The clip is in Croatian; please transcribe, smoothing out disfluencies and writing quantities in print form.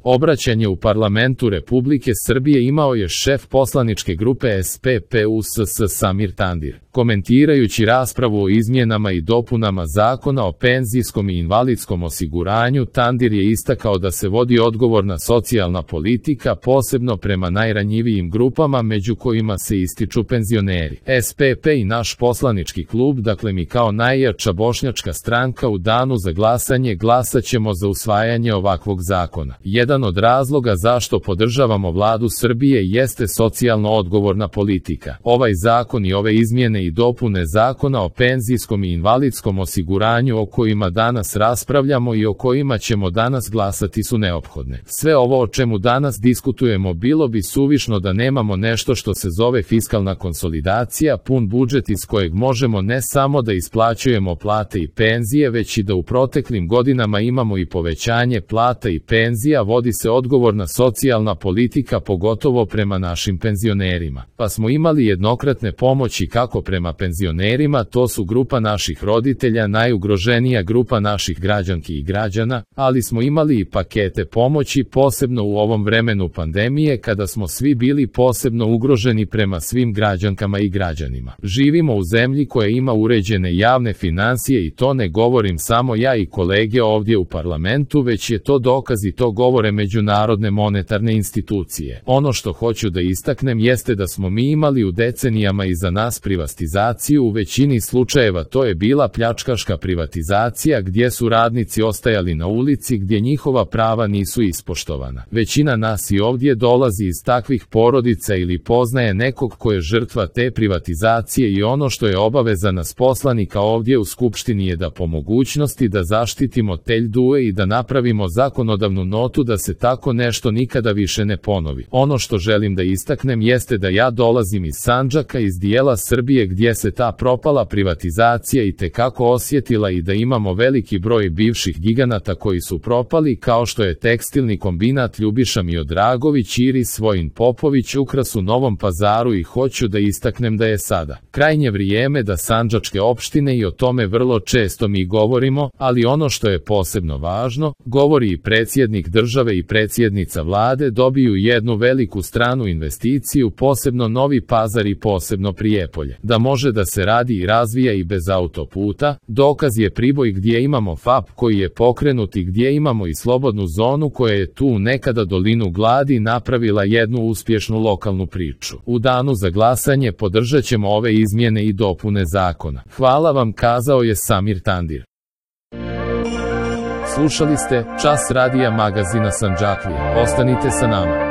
Obraćanje u parlamentu Republike Srbije imao je šef poslaničke grupe SPP-USS Samir Tandir. Komentirajući raspravu o izmjenama i dopunama Zakona o penzijskom i invalidskom osiguranju, Tandir je istakao da se vodi odgovorna socijalna politika, posebno prema najranjivijim grupama, među kojima se ističu penzioneri. SPP i naš poslanički klub, dakle mi kao najjača bošnjačka stranka, u danu za glasanje glasaćemo za usvajanje ovakvog zakona. Jedan od razloga zašto podržavamo vladu Srbije jeste socijalno odgovorna politika. Ovaj zakon i ove izmjene i dopune Zakona o penzijskom i invalidskom osiguranju o kojima danas raspravljamo i o kojima ćemo danas glasati su neophodne. Sve ovo o čemu danas diskutujemo bilo bi suvišno da nemamo nešto što se zove fiskalna konsolidacija, pun budžet iz kojeg možemo ne samo da isplaćujemo plate i penzije, već i da u proteklim godinama imamo i povećanje plata i penzija, vodi se odgovorna socijalna politika, pogotovo prema našim penzionerima. Pa smo imali jednokratne pomoći kako prema penzionerima, to su grupa naših roditelja, najugroženija grupa naših građanki i građana, ali smo imali i pakete pomoći, posebno u ovom vremenu pandemije kada smo svi bili posebno ugroženi prema svim građankama i građanima. Živimo u zemlji koja ima uređene javne finansije i to ne govorim samo ja i kolege ovdje u parlamentu, već je to dokaz i to govore međunarodne monetarne institucije. Ono što hoću da istaknem jeste da smo mi imali u decenijama iza nas privatizaciju, u većini slučajeva to je bila pljačkaška privatizacija gdje su radnici ostajali na ulici, gdje njihova prava nisu ispoštovana. Većina nas i ovdje dolazi iz takvih porodica ili poznaje nekog ko je žrtva te privatizacije i ono što je obaveza nas poslanika ovdje u Skupštini je da po mogućnosti da zaštitimo te ljude i da napravimo zakonodavnu notu da se tako nešto nikada više ne ponovi. Ono što želim da istaknem jeste da ja dolazim iz Sandžaka, iz dijela Srbije gdje se ta propala privatizacija i tekako osjetila i da imamo veliki broj bivših giganata koji su propali, kao što je tekstilni kombinat Ljubiša Miodragović, Iris Vojin Popović, Ukras u Novom Pazaru, i hoću da istaknem da je sada krajnje vrijeme da sandžačke opštine, i o tome vrlo često mi govorimo, ali ono što je posebno važno, govori i predsjednik države i predsjednica vlade, dobiju jednu veliku stranu investiciju, posebno Novi Pazar i posebno Prijepolje. Da može da se radi i razvija i bez autoputa, dokaz je Priboj gdje imamo FAP koji je pokrenut i gdje imamo i slobodnu zonu koja je tu nekada dolinu gladi napravila jednu uspješnu lokalnu priču. U danu za glasanje podržat ćemo ove izmjene i dopune zakona. Hvala vam, kazao je Samir Tandir. Slušali ste Čas radija magazina Sandžaklija. Ostanite sa nama.